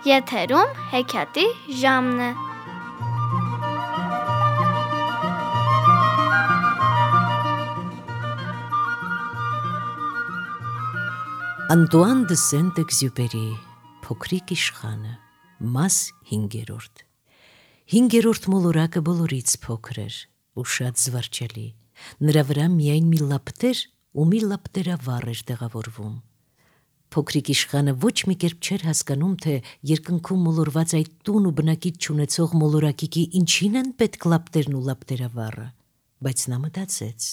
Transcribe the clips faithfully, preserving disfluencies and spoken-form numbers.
Եթերում հեքիաթի ժամն է։ Անտուան դը Սենտ-Էքզյուպերի Փոքրիկ իշխանը, մաս հինգերորդ։ Հինգերորդ մոլորակը բոլորից փոքր էր ու շատ զվարճալի։ Նրա վրա միայն մի լապտեր ու մի լապտերավառ էր տեղավորվում։ Փոքրիկ իշխանը ոչ մի կերպ չէր հասկանում, թե երկնքում մոլորված այդ տուն ու բնակիչ չունեցող մոլորակիկի ինչին են պետք լապտերն ու լապտերավառը, բայց նա մտածեց.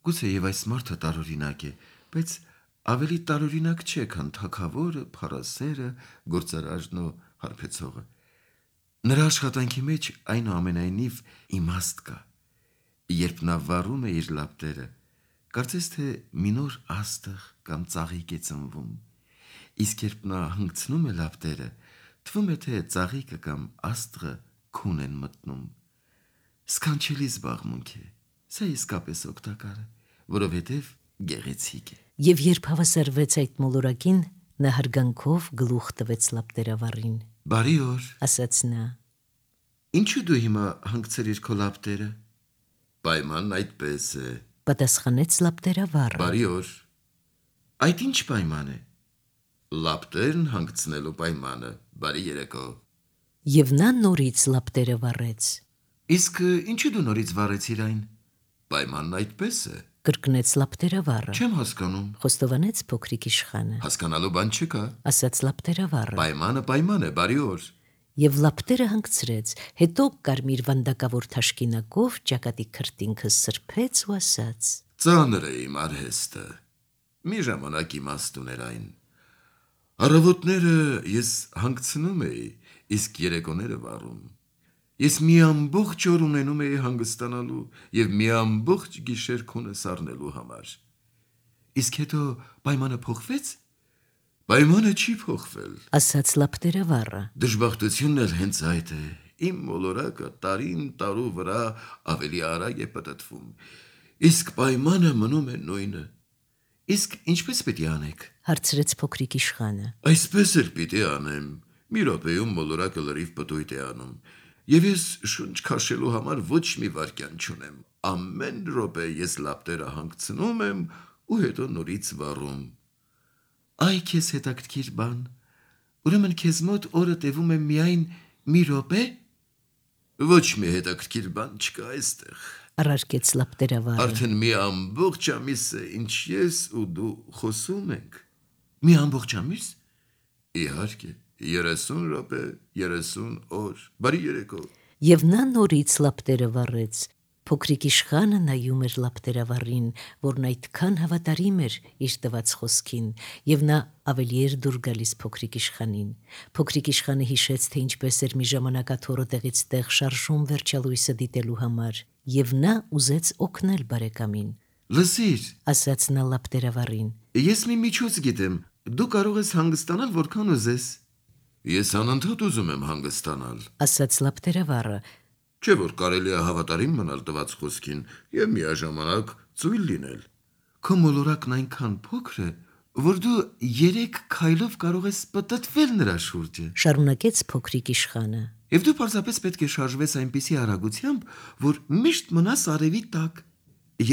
Գուցեև այս մարդը տարօրինակ է, բայց ավելի տարօրինակ չէ, քան թագավորը, փառասերը, գործարարն ու հարբեցողը։ Նրա աշխատանքի մեջ այնուամենայնիվ իմաստ կա։ Երբ նա վառում է իր լապտերը, կարծես թե մի նոր աստղ կամ ծաղիկ է ծնվում, իսկ երբ նա հանգցնում է լապտերը, թվում է, թե ծաղիկը կամ աստղը քուն են մտնում։ Սքանչելի զբաղմունք է, սա իսկապես օգտակար է, որովհետև գեղեցիկ է։ Եվ երբ հավասարվեց այդ մոլորակին, նա հարգանքով գլուխ տվեց լապտերավառին։ Բարի օր, ասաց նա։ Ինչու դու հիմա հանգցրիր քո լապտերը։ Պայմանն այդպես է, պատասխանեց լապտերավառը։ Բարի օր, այդ ինչ պայման է։ Լապտերն հանգցնելու պայմանը, բարի երեկո։ Եվ նա նորից լապտերը վառեց։ Իսկ ինչու դու նորից վառեցիր այն։ Պայմանն այդպես է, կրկնեց լապտերավառը։ Չեմ հասկանում, խոստովանեց փոքրիկ իշխանը։ Հասկանալու բան չկա, ասաց լապտերավառը։ Պայմանը պայման է, բարի օր։ Եվ լապտերը հանգցրեց, հետո կարմիր վանդակավոր թաշկինակով ճակատի քրտինքը սրբեց ու ասաց. Ծանր է իմ արհեստը, մի ժամանակ իմաստ ուներ այն։ Առավոտները ես հանգցնում էի, իսկ երեկոները վառում։ Ես մի ամբողջ օր ունենում էի հանգստանալու և մի ամբողջ գիշեր քունը սառնելու համար։ Իսկ հետո պայմանը փոխվեց։ Պայմանը չի փոխվել, ասաց լապտերավառը։ Դժբախտությունն էլ հենց այդ է, իմ մոլորակը տարին տարու վրա ավելի արագ է պտտվում, իսկ պայմանը մնում է նույնը։ Իսկ ինչպես պիտի անեք, հարցրեց փոքրիկ իշխանը։ Այսպես էլ պիտի անեմ, մի րոպեում մոլորակը լրիվ պտույտ է անում, և ես շունչ քաշելու համար ոչ մի վայրկյան չունեմ, ամեն րոպե ես լապտերը հանգցնում եմ ու հետո նորից վառում։ Այ քեզ հետաքրքիր բան, ուրեմն քեզ մոտ օրը տևում է միայն մի րոպե։ Ոչ մի հետաքրքիր բան չկա այստեղ, առարկեց լապտերավառը։ Արդեն մի ամբողջ ամիս է, ինչ ես ու դու խոսում ենք։ Մի ամբողջ ամիս։ Իհարկե, երեսուն րոպե, երեսուն օր, բարի երեկո։ Եվ նա նորից լապտերը վառեց։ Փոքրիկ իշխանը նայում էր լապտերավառին, որն այդքան հավատարիմ էր իր տված խոսքին, և նա ավելի էր դուր գալիս փոքրիկ իշխանին։ Փոքրիկ իշխանը հիշեց, թե ինչպես էր մի ժամանակ աթոռը տեղից տեղ շարժում վերջալույսը դիտելու համար, և նա ուզեց օգնել բարեկամին։ Լսիր, ասաց նա լապտերավառին։ Ես մի միջոց գիտեմ, դու կարող ես հանգստանալ որքան ուզես։ Ես անընդհատ ուզում եմ հանգստանալ, ասաց լապտերավառը։ Չէ՞ որ կարելի է հավատարիմ մնալ տված խոսքին և միաժամանակ ծույլ լինել։ Քո մոլորակն այնքան փոքր է, որ դու երեք քայլով կարող ես պտտվել նրա շուրջը, շարունակեց փոքրիկ իշխանը։ Եվ դու պարզապես պետք է շարժվես այնպիսի արագությամբ, որ միշտ մնաս արևի տակ։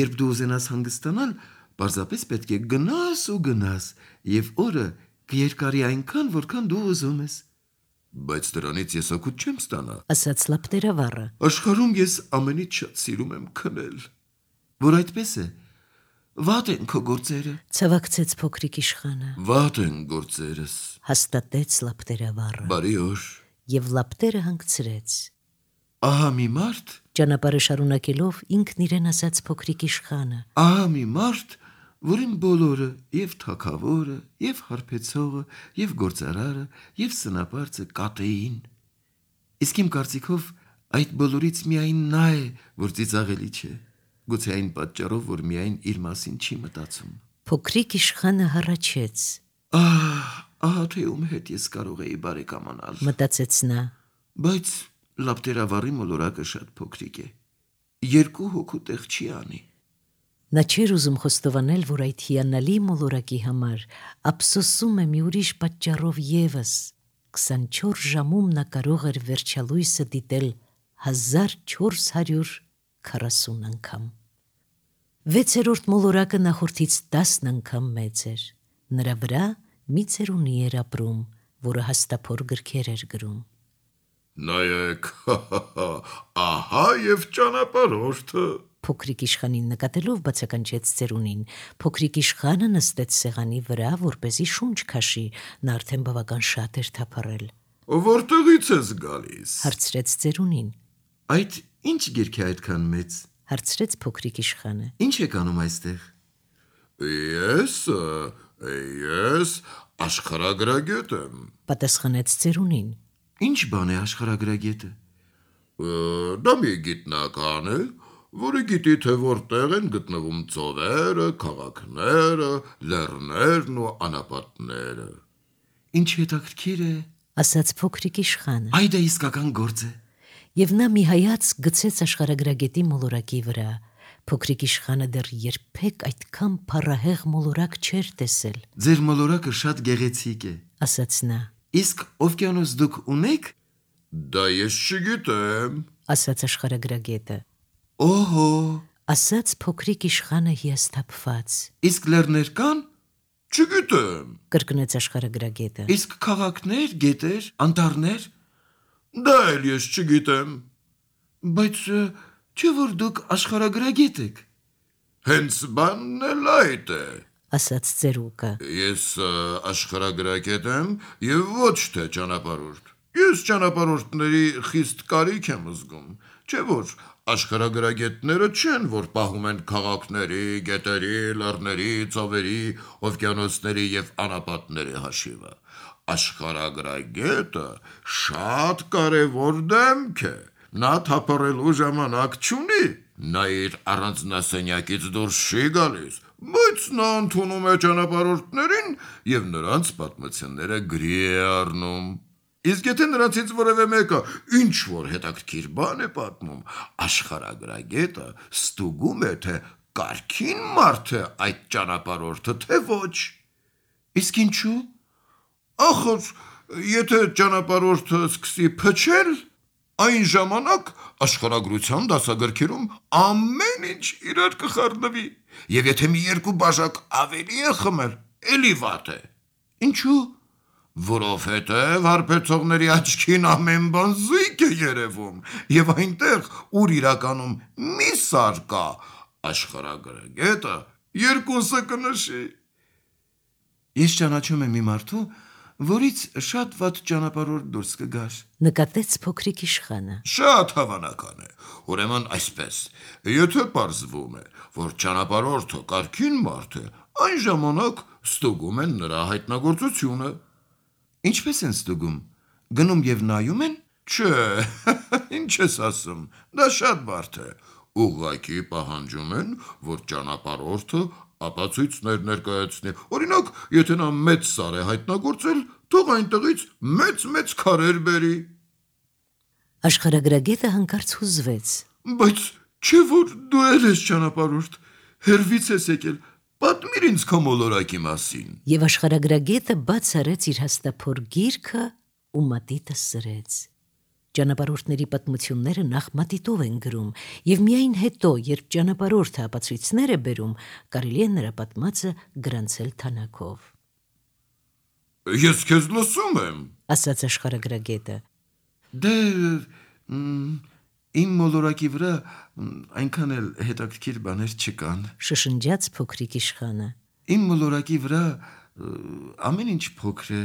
Երբ դու ուզենաս հանգստանալ, պարզապես պետք է գնաս ու գնաս, և օրը կերկարի այնքան, որքան դու ուզում ես։ Բայց դրանից ես օգուտ չեմ ստանա, ասաց լապտերավառը։ Աշխարհում ես ամենից շատ սիրում եմ քնել։ Որ այդպես է, վատ են քո գործերը, ցավակցեց փոքրիկ իշխանը։ Վատ են գործերս, հաստատեց լապտերավառը։ Բարի օր։ Եվ լապտերը հանգցրեց։ Ահա մի մարդ, ճանապարհը շարունակելով ինքն իրեն ասաց փոքրիկ իշխանը։ Ահա մի մարդ, որին բոլորը, և թագավորը, և հարբեցողը, և գործարարը, և սնապարծը կատեին։ Իսկ իմ կարծիքով այդ բոլորից միայն նա է, որ ծիծաղելի չէ, գուցե այն պատճառով, որ միայն իր մասին չի մտածում։ Փոքրիկ իշխանը հառաչեց։ Ահ, ահա թե ում հետ ես կարող էի բարեկամանալ, մտածեց նա։ Բայց լապտերավառի մոլորակը շատ փոքրիկ է, երկու հոգու տեղ չի անի։ Նա չէր ուզում խոստովանել, որ այդ հիանալի մոլորակի համար ափսոսում է մի ուրիշ պատճառով ևս, քսանչորս ժամում նա կարող էր վերջալույսը դիտել հազար չորս հարյուր քառասուն անգամ։ Վեցերորդ մոլորակը նախորդից տասն անգամ մեծ էր։ Նրա վրա մի ծերունի էր ապրում, որը հաստափոր գրքեր էր գրում։ Նայեք, ահա եւ ճանապարհորդը։ Փոքրիկ իշխանին նկատելով բացականչեց ծերունին։ Փոքրիկ իշխանը նստեց սեղանի վրա, որպեսզի շունչ քաշի, նա արդեն բավական շատ էր թափառել։ Որտեղից ես գալիս։ Հարցրեց ծերունին։ Այդ ինչ գիրք է այդքան մեծ։ Հարցրեց փոքրիկ իշխանը։ Ինչ եք անում այստեղ։ Ես, ես աշխարհագրագետ եմ։ Պատասխանեց ծերունին։ Ինչ բան է աշխարհագրագետը։ Դա մի գիտնական է, որը գիտի, թե որտեղ են գտնվում ծովերը, քաղաքները, լեռներն ու անապատները։ Ինչ հետաքրքիր է, ասաց փոքրիկ իշխանը։ Այ դա իսկական գործ է։ Եվ նա մի հայաց գցեց աշխարհագրագետի մոլորակի վրա։ Փոքրիկ իշխանը դեռ երբեք այդքան փառահեղ մոլորակ չէր տեսել։ Ձեր մոլորակը շատ գեղեցիկ է, ասաց նա։ Իսկ օվկիանոս դուք ունեք։ Դա ես չգիտեմ, ասաց աշխարհագրագետը։ Օհո, ասաց փոքրիկ իշխանը հիասթափված։ Իսկ լեռներ կան։ Չգիտեմ, կրկնեց աշխարհագրագետը։ Իսկ քաղաքներ, գետեր, անտառներ։ Դա էլ ես չգիտեմ։ Բայց չէ՞ որ դուք աշխարհագրագետ եք։ Հենց բանն էլ այդ է, ասաց ծերուկը։ Ես աշխարհագրագետ եմ եւ ոչ թե ճանապարհորդ։ Ես ճանապարհորդների խիստ կարիք եմ զգում։ Չէ՞ որ աշխարհագրագետները չեն, որ պահում են քաղաքների, գետերի, լեռների, ծովերի, օվկիանոսների եւ անապատների հաշիվը։ Աշխարհագրագետը շատ կարևոր դեմք է։ Նա թափառելու ժամանակ չունի։ Նա իր առանձնասենյակից դուրս չի գալիս, բայց նա ընդունում է ճանապարհորդներին եւ նրանց պատմությունները գրի է առնում։ Իսկ եթե նրանցից որևէ մեկը ինչ որ հետաքրքիր բան է պատմում, աշխարհագրագետը ստուգում է, թե կարգին մարդ է այդ ճանապարհորդը, թե ոչ։ Իսկ ինչու։ Ախր, եթե ճանապարհորդը սկսի փչել, այն ժամանակ աշխարհագրության դասագրքերում ամեն ինչ իրար կխառնվի, եւ եթե մի երկու բաժակ ավելի է խմել, էլի վատ է։ Ինչու։ Որովհետև հարբեցողների աչքին ամեն բան զույգ է երևում, եւ այնտեղ, ուր իրականում մի սար կա, աշխարհագրագետը երկուսը կնշի։ Ես ճանաչում եմ մի մարդու, որից շատ վատ ճանապարհորդ դուրս կգար։ Նկատեց փոքրիկ իշխանը։ Շատ հավանական է։ Ուրեմն այսպես, եթե պարզվում է, որ ճանապարհորդը կարգին մարդ է, այն ժամանակ ստուգում են նրա հայտնագործությունը։ Ինչպես են ստուգում։ Գնում եւ նայում են։ Չէ, ինչ ես ասում։ Դա շատ բարդ է։ Ուղղակի պահանջում են, որ ճանապարհորդը ապացույցներ ներկայացնի։ Օրինակ, եթե նա մեծ սար է հայտնագործել, թող այնտեղից մեծ-մեծ քարեր բերի։ Աշխարհագրագետը հանկարծ հուզվեց։ Բայց չէ՞ որ դու էլ ես ճանապարհորդ, հերվից ես եկել, պատմիր ինձ քո մոլորակի մասին։ Եվ աշխարհագրագետը բաց արեց իր հաստափոր գիրքը ու մատիտը սրեց։ Ճանապարհորդների պատմությունները նախ մատիտով են գրում, եւ միայն հետո, երբ ճանապարհորդը ապացույցներ է բերում, կարելի է նրա պատմածը գրանցել թանակով։ Ես քեզ լսում եմ, ասաց աշխարհագրագետը։ Դե իմ մոլորակի վրա այնքան էլ հետաքրքիր բաներ չկան, շշնջաց փոքրիկ իշխանը։ Իմ մոլորակի վրա ամեն ինչ փոքր է,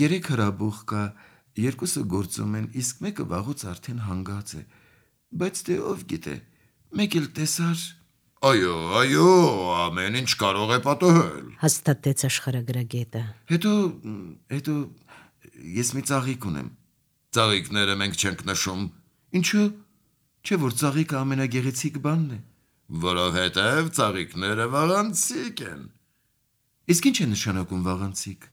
երեք հրաբուխ կա, երկուսը գործում են, իսկ մեկը վաղուց արդեն հանգած է, բայց դե ով գիտե, մեկ էլ տեսար։ Այո, այո, ամեն ինչ կարող է պատահել, հաստատեց աշխարհագրագետը։ Հետո, հետո ես մի ծաղիկ ունեմ։ Ծաղիկները մենք չենք նշում։ Ինչու։ Չէ՞ որ ծաղիկը ամենագեղեցիկ բանն է։ Որովհետև ծաղիկները վաղանցիկ են։ Իսկ ինչ է նշանակում վաղանցիկ։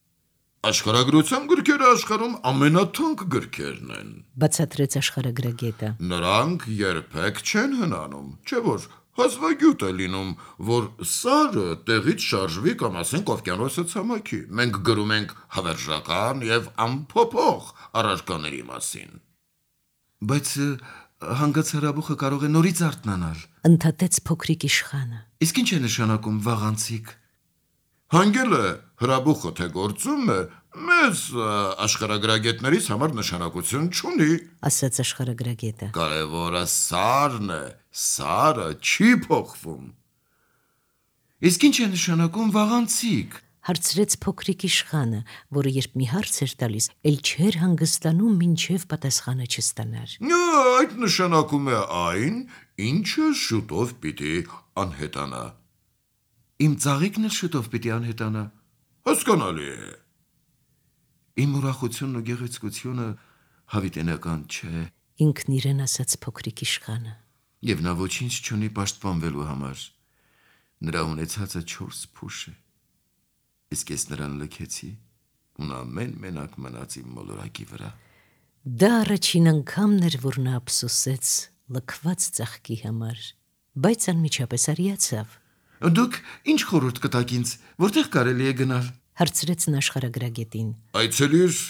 Աշխարհագրության գրքերը աշխարհում ամենաթանկ գրքերն են, բացատրեց աշխարհագրագետը։ Նրանք երբեք չեն հնանում, չէ՞ որ Հազվագյուտ է լինում, որ սարը տեղից շարժվի կամ ասենք օվկիանոսը ցամաքի։ Մենք գրում ենք հավերժական եւ անփոփոխ առարկաների մասին։ Բայց հանգած հրաբուխը կարող է նորից արթնանալ։ Ընդհատեց փոքրիկ իշխանը։ Իսկ ինչ է նշանակում վաղանցիկ։ Հանգել է հրաբուխը թե գործում է, մեզ աշխարհագրագետներից համար նշանակություն չունի, ասաց աշխարհագրագետը։ Կարևորը սարն է, սարը չի փոխվում։ Իսկ ինչ է նշանակում վաղանցիկ։ Հարցրեց փոքրիկ իշխանը, որը երբ մի հարց էր տալիս, ել չէր հանգստանում, մինչև պատասխանը չստանար։ Այդ նշանակում է այն, ինչը շուտով պիտի անհետանա։ Իմ ծաղիկն էլ շուտով պիտի անհետանա։ Հասկանալի է։ Իմ ուրախությունն ու գեղեցկությունը հավիտենական չէ։ Ինքն իրեն ասաց փոքրիկ իշխանը։ Եվ նա ոչինչ չունի պաշտպանվելու համար։ Նրա ունեցածը չորս փուշ է։ Իսկ ես նրան լքեցի ու նա ամեն մենակ մնաց իմ մոլորակի վրա։ Դա առաջին անգամն էր, որ նա ափսոսեց լքված ծաղկի համար, բայց անմիջապես արիացավ։ Դուք ինչ խորհուրդ կտաք ինձ, որտեղ կարելի է գնալ։ Հարցրեց նա աշխարհագրագետին։ Այցելիր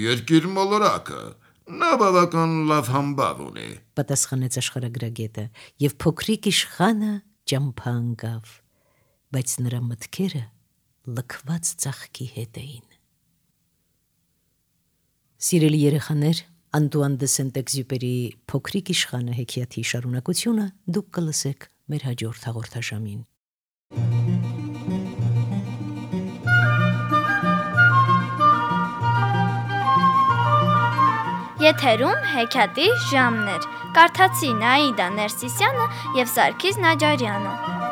երկիր մոլորակը, նա բավական լավ համբավ ունի։ Պատասխանեց աշխարհագրագետը, եւ փոքրիկ իշխանը ճամփա ընկավ, բայց նրա մտքերը լքված ծաղկի հետ էին։ Սիրելի երեխաներ, Անտուան դե Սենտ-Էքզյուպերի Փոքրիկ իշխանը հեքիաթի շարունակությունը դուք կլսեք մեր հաջորդ հաղորդաշամին։ Եթերում հեքիաթի ժամն էր։ Կարդացին Աիդա Ներսիսյանը եւ Սարգիս Նաջարյանը։